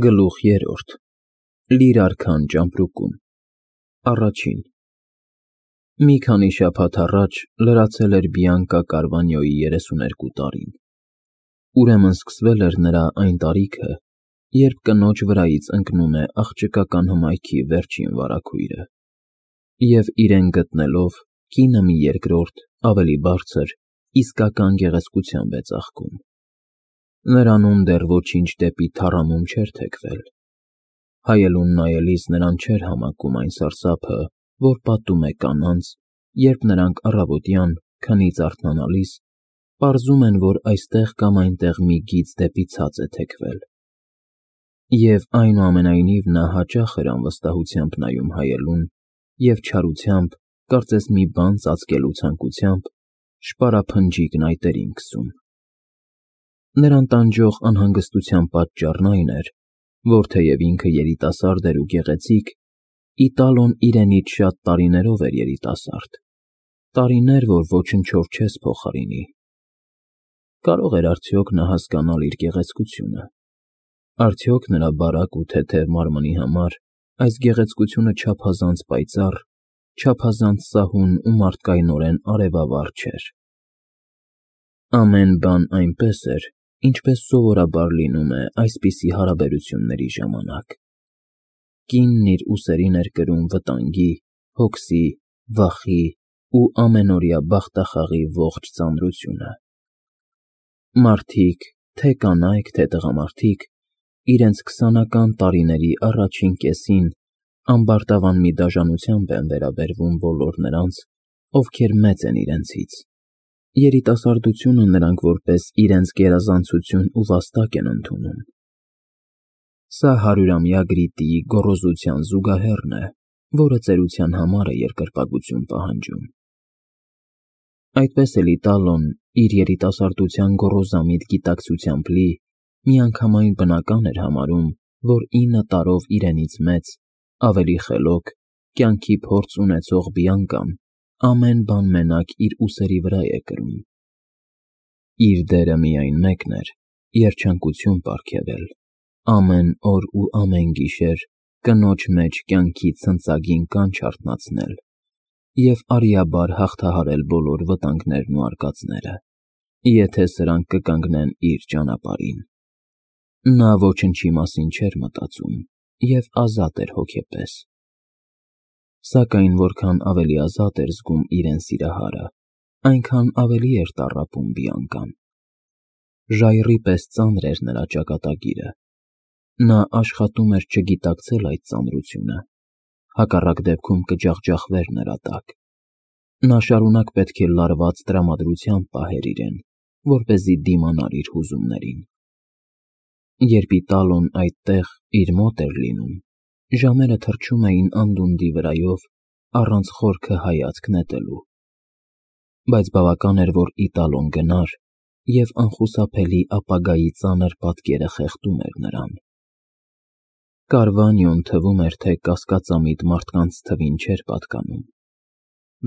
Գլուխ 3 Լիր արքան ճամպրուկում Առաջին Մի քանի շաբաթ առաջ լրացել էր Բիանկա Կարվանյոյի 32 տարին։ Ուրեմն սկսվել էր նրա այն տարիքը, երբ կնոջ վրայից ընկնում է աղջկական հմայքի վերջին վարագույրը, և իրեն գտնելով, կինը մի երկրորդ, ավելի բարձր, իսկական գեղեցկությամբ է ծաղկում։ Նրանում դեռ ոչինչ դեպի թառամում չէր թեքվել։ Հայելուն նայելիս նրան չէր համակում այն սարսափը, որ պատում է կանանց, երբ նրանք առավոտյան, քնից արթնանալիս, պարզում են, որ այստեղ կամ այնտեղ մի գիծ դեպի ցած է թեքվել։ Եվ այնուամենայնիվ նա հաճախ էր անվստահությամբ նայում հայելուն և չարությամբ, կարծես մի բան ծածկելու ցանկությամբ, շպարափնջիկն այտերին քսում։ Նրան տանջող անհանգստության պատճառն այն էր, որ թեև ինքը երիտասարդ էր ու գեղեցիկ, Իտալոն իրենից շատ տարիներով էր երիտասարդ, տարիներ, որ ոչնչով չես փոխարինի։ Կարո՞ղ էր արդյոք նա հասկանալ իր գեղեցկությունը։ Արդյոք նրա բարակ ու թեթև մարմնի համար այս գեղեցկությունը չափազանց պայծառ, չափազանց սահուն ու մարդկայնորեն արևավառ չէր։ Ամեն բան այնպես էր, ինչպես սովորաբար լինում է այսպիսի հարաբերությունների ժամանակ։ Կինն իր ուսերին էր կրում վտանգի, հոգսի, վախի ու ամենօրյա բախտախաղի ողջ ծանրությունը։ Մարդիկ, թե կանայք, թե տղամարդիկ, իրենց 20-ական տարիների առաջին կեսին ամբարտավան մի դաժանությամբ են վերաբերվում բոլոր նրանց, ովքեր մեծ են իրենցից։ Երիտասարդությունը նրանք որպես իրենց գերազանցություն ու վաստակ են ընդունում։ Սա 100-ամյա գրիտիի գոռոզության զուգահեռն է, որը ծերության համար է երկրպագություն պահանջում։ Այդպես էլ Իտալոն իր երիտասարդության գոռոզամիտ գիտակցությամբ լի միանգամայն բնական էր համարում, որ 9 տարով իրենից մեծ, ավելի խելոք, կյանքի փորձ ունեցող Բիանկան ամեն բան մենակ իր ուսերի վրա է կրում։ Իր դերը միայն մեկն էր՝ երջանկություն պարգևել, ամեն օր ու ամեն գիշեր կնոջ մեջ կյանքի ցնծագին կանչ արթնացնել և արիաբար հաղթահարել բոլոր վտանգներն ու արկածները, եթե սրանք կկանգնեն իր ճանապարհին։ Նա ոչնչի մասին չէր մտածում և ազատ էր հոգեպես։ Սակայն որքան ավելի ազատ էր զգում իրեն սիրահարը, այնքան ավելի էր տառապում Բիանկան։ Ժայռի պես ծանր էր նրա ճակատագիրը։ Նա աշխատում էր չգիտակցել այդ ծանրությունը, հակառակ դեպքում կջախջախվեր նրա տակ։ Նա շարունակ պետք է լարված տրամադրությամբ պահեր իրեն, որպեսզի դիմանար իր հուզումներին։ Երբ Իտալոն այդտեղ իր մոտ էր լինում, ժամերը թռչում էին անդունդի վրայով, առանց խորքը հայացք նետելու։ Բայց բավական էր, որ Իտալոն գնար, և անխուսափելի ապագայի ծանր պատկերը խեղդում էր նրան։ Կարվանյոն թվում էր, թե կասկածամիտ մարդկանց թվին չէր պատկանում։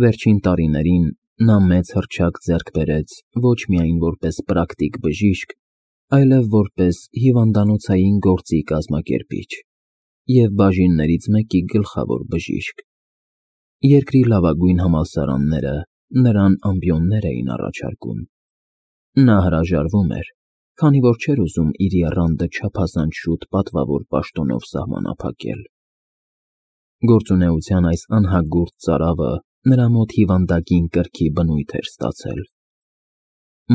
Վերջին տարիներին նա մեծ հռչակ ձեռք բերեց ոչ միայն որպես պրակտիկ բժիշկ, այլև որպես հիվանդանոցային գործի կազմակերպիչ և բաժիններից մեկի գլխավոր բժիշկ։ Երկրի լավագույն համալսարանները նրան ամբիոններ էին առաջարկում։ Նա հրաժարվում էր, քանի որ չէր ուզում իր եռանդը չափազանց շուտ պատվավոր պաշտոնով սահմանափակել։ Գործունեության այս անհագուրդ ծարավը նրա մոտ հիվանդագին կրքի բնույթ էր ստացել։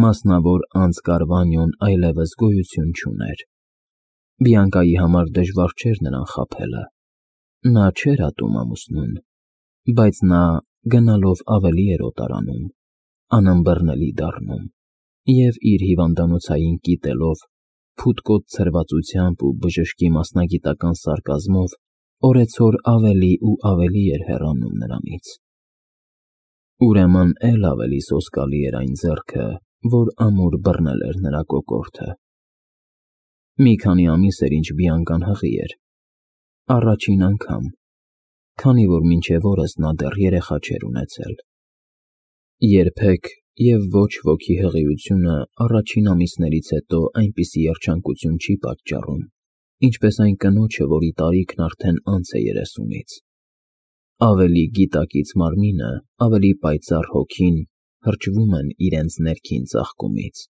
Մասնավոր անձ Կարվանյոն այլևս գոյություն չուներ։ Բիանկայի համար դժվար չէր նրան խաբելը։ Նա չէր ատում ամուսնուն, բայց նա գնալով ավելի էր օտարանում, անըմբռնելի դառնում և իր հիվանդանոցային կիտելով, փութկոտ ցրվածությամբ ու բժշկի մասնագիտական սարկազմով օրեցօր ավելի ու ավելի էր հեռանում նրանից։ Ուրեմն էլ ավելի սոսկալի էր այն ձեռքը, որ ամուր բռնել էր նրա կոկորդը։ Մի քանի ամիս էր, ինչ Բիանկան հղի էր։ Առաջին անգամ, քանի որ մինչև օրս նա դեռ երեխա չէր ունեցել։ Երբեք և ոչ ոքի հղիությունը առաջին ամիսներից հետո այնպիսի երջանկություն չի պատճառում, ինչպես այն կնոջը, որի տարիքն արդեն անց է 30-ից։ Ավելի գիտակից մարմինը, ավելի պայծառ հոգին հրճվում են իրենց ներքին ծաղկումից։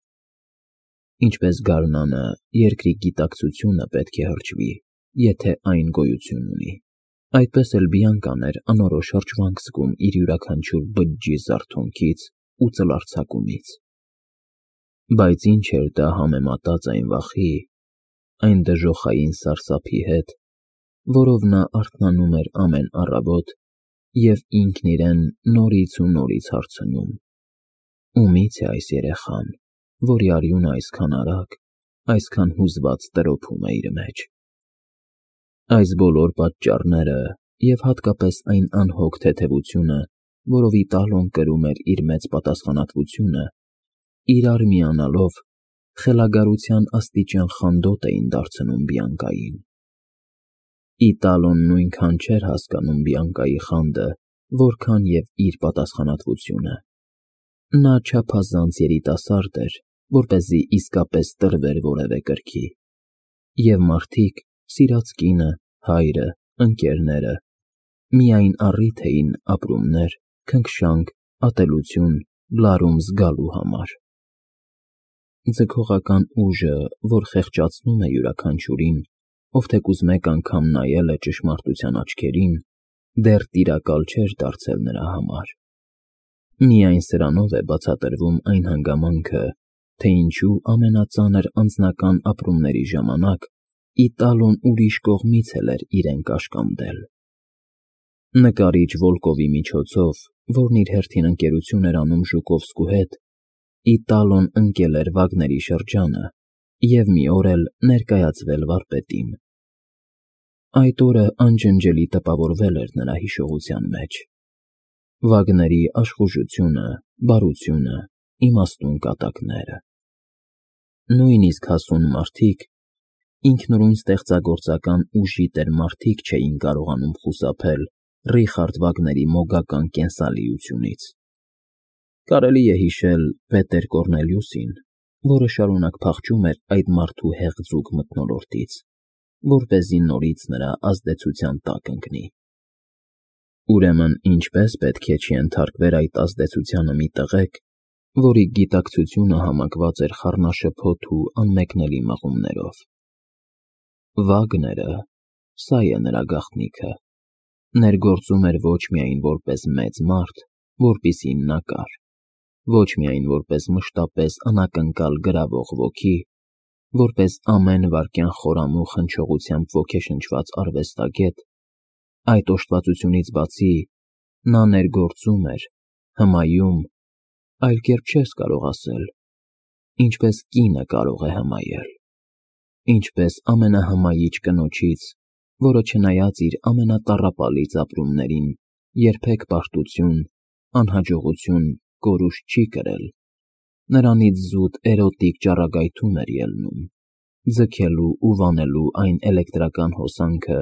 Ինչպես գարնանը երկրի գիտակցությունը պետք է հրճվի, եթե այն գոյություն ունի, այդպես էլ Բիանկան էր անորոշ հրճվանք զգում իր յուրաքանչյուր բջջի զարթոնքից ու ծլարձակումից։ Բայց ինչ էր դա համեմատած այն վախի, այն դժոխային սարսափի հետ, որով նա արթնանում էր ամեն առավոտ և ինքն իրեն նորից ու նորից հարցնում. ումի՞ց է այս երեխան, որի արյունը այսքան արագ, այսքան հուզված տրոփում է իր մեջ։ Այս բոլոր պատճառները և հատկապես այն անհոգ թեթևությունը, որով Իտալոն կրում էր իր մեծ պատասխանատվությունը, իրար միանալով խելագարության աստիճան խանդոտ էին դարձնում Բիանկային։ Իտալոն նույնքան չէր հասկանում Բիանկայի խանդը, որքան և իր պատասխանատվությունը։ Նա չափազանց երիտասարդ էր, որպեսզի իսկապես տրվեր որևէ կրքի, և մարդիկ, սիրած կինը, հայրը, ընկերները, միայն առիթ էին ապրումներ, քնքշանք, ատելություն, լարում զգալու համար։ Ձգողական ուժը, որ խեղճացնում է յուրաքանչյուրին, ով թեկուզ մեկ անգամ նայել է ճշմարտության աչքերին, դեռ տիրակալ չէր դարձել նրա համար։ Միայն սրանով է բացատրվում այն հանգամանքը, թե ինչու ամենածանր անձնական ապրումների ժամանակ Իտալոն ուրիշ կողմից էլ էր իրեն կաշկանդել։ Նկարիչ Վոլկովի միջոցով, որն իր հերթին ընկերություն էր անում Ժուկովսկու հետ, Իտալոն ընկել էր Վագների շրջանը և մի օր էլ ներկայացվել վարպետին։ Այդ օրը անջնջելի տպավորվել էր նրա հիշողության մեջ։ Վագների աշխուժությունը, բարությունը, իմաստուն կատակները։ Նույնիսկ հասուն մարդիկ, ինքնուրույն ստեղծագործական ուժի տեր մարդիկ չէին կարողանում խուսափել Ռիխարդ Վագների մոգական կենսալիությունից։ Կարելի է հիշել Պետեր Կոռնելիուսին, որը շարունակ փախչում էր այդ մարդու հեղձուկ մթնոլորտից, որպեսզի նորից նրա ազդեցության տակ ընկնի։ Ուրեմն ինչպե՞ս պետք է չենթարկվեր այդ ազդեցությանը մի տղեկ, որի գիտակցությունը համակված էր խառնաշփոթ ու անմեկնելի մղումներով։ Վագները, սա է նրա գաղտնիքը, ներգործում էր ոչ միայն որպես մեծ մարդ, որպիսին նա կար, ոչ միայն որպես մշտապես անակնկալ գրավող ոգի, որպես ամեն վայրկյան խորամուխ հնչողությամբ ոգեշնչված արվեստագետ, այդ օժտվածությունից բացի նա ներգործում էր, հմայում, այլ կերպ չես կարող ասել, ինչպես կինը կարող է հմայել, ինչպես ամենահմայիչ կնոջից, որը չնայած իր ամենատառապալից ապրումներին երբեք պարտություն, անհաջողություն, կորուստ չի կրել, նրանից զուտ էրոտիկ ճառագայթում էր ելնում, ձգելու ու վանելու այն էլեկտրական հոսանքը,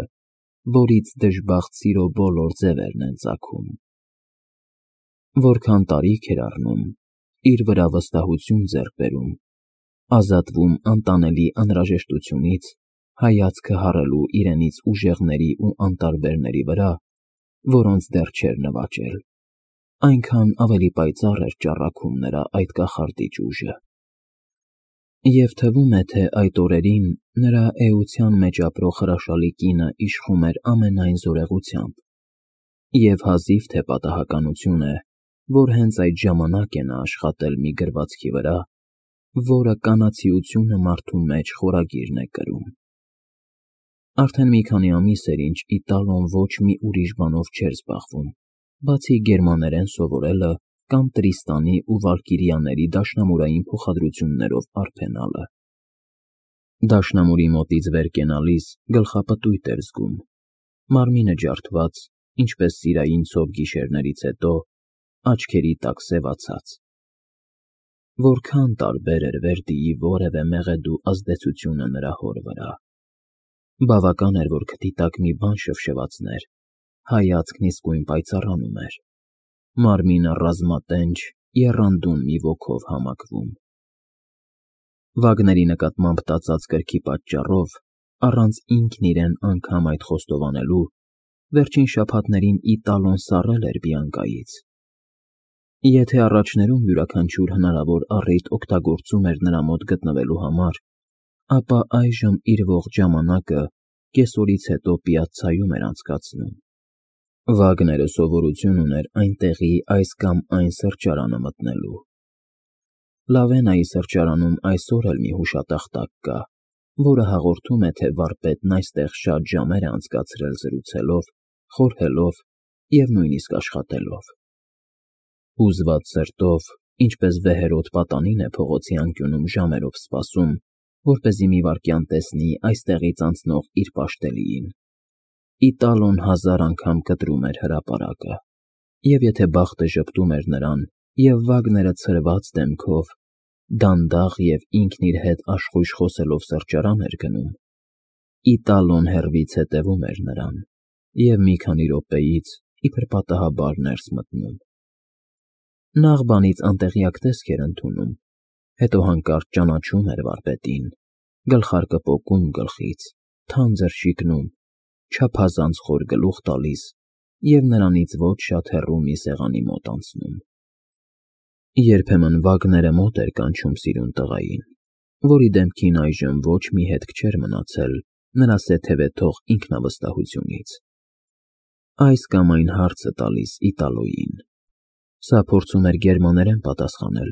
որից դժբախտ սիրո բոլոր ձևերն են ծագում։ Որքան տարիք էր առնում, իր վրա վստահություն ձեռք բերում, ազատվում անտանելի անհրաժեշտությունից, հայացքը հառելու իրենից ուժեղների ու անտարբերների վրա, որոնց դեռ չէր նվաճել, այնքան ավելի պայծառ էր ճառագում նրա այդ կախարդիչ ուժը։ Եվ թվում է, թե այդ օրերին նրա էության մեջ ապրող հրաշալի կինը իշխում էր ամենայն զորեղությամբ, և հազիվ թե պատահականություն է, որ հենց այդ ժամանակ է նա աշխատել մի գրվածքի վրա, որը կանացիությունը մարդու մեջ խորագիրն է կրում։ Արդեն մի քանի ամիս էր, ինչ Իտալոն ոչ մի ուրիշ բանով չէր զբաղվում, բացի գերմաներեն սովորելը կամ Տրիստանի ու Վալկիրիաների դաշնամուրային փոխադրություններով արբենալը։ Դաշնամուրի մոտից վեր կենալիս գլխապտույտ էր զգում, մարմինը ջարդված, ինչպես սիրային ցով գիշերներից հետո, աչքերի տակ սևացած։ Որքան տարբեր էր Վերդիի որևէ մեղեդու ազդեցությունը նրա հոր վրա։ Բավական էր, որ քթի տակ մի բան շվշվացներ, հայացքն իսկույն պայծառանում էր, մարմինը ռազմատենչ, եռանդուն մի ոգով համակվում։ Վագների նկատմամբ տածած կրքի պատճառով առանց ինքն իրեն անգամ այդ խոստովանելու, վերջին շաբաթներին Իտալոն սառել էր Բիանկայից։ Եթե առաջներում յուրաքանչյուր հնարավոր առիթ օգտագործում էր նրա մոտ գտնվելու համար, ապա այժմ իր ողջ ժամանակը կեսօրից հետո պիացցայում էր անցկացնում։ Վագները սովորություն ուներ այնտեղի այս կամ այն սրճարանը մտնելու։ Լավենայի սրճարանում այսօր էլ մի հուշատախտակ կա, որը հաղորդում է, թե վարպետն այստեղ շատ ժամեր է անցկացրել զրուցելով, խորհելով և նույնիսկ աշխատելով։ Հուզված սրտով, ինչպես վեհերոտ պատանին է փողոցի անկյունում ժամերով սպասում, որպեսզի մի վայրկյան տեսնի այստեղից անցնող իր պաշտելիին, Իտալոն 1000 անգամ կտրում էր հրապարակը, և եթե բախտը ժպտում էր նրան, և Վագները ցրված դեմքով, դանդաղ և ինքն իր հետ աշխույժ խոսելով սրճարան էր գնում, Իտալոն հեռվից հետևում էր նրան և մի քանի րոպեից իբր պատահաբար ներս մտնում։ Նախ բանից անտեղյակ տեսք էր ընդունում, հետո հանկարծ ճանաչում էր վարպետին, գլխարկը պոկում գլխից, թանձր շիկնում, չափազանց խոր գլուխ տալիս և նրանից ոչ շատ հեռու մի սեղանի մոտ անցնում։ Երբեմն Վագները մոտ էր կանչում սիրուն տղային, որի դեմքին այժմ ոչ մի հետք չէր մնացել նրա սեթևեթող ինքնավստահությունից։ Այս կամ այն հարցը տալիս Իտալոյին։ Սա փորձում էր գերմաներեն պատասխանել,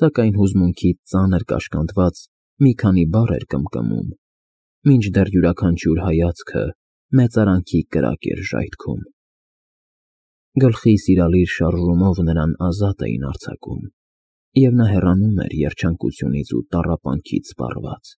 սակայն հուզմունքից ծանր կաշկանդված մի քանի բառ էր կմկմում, մինչդեռ յուրաքանչյուր հայացքը մեծարանքի կրակ էր ժայթքում։ Գլխի սիրալիր շարժումով նրան ազատ էին արձակում, և նա հեռանում էր երջանկությունից ու տառապանքից սպառված։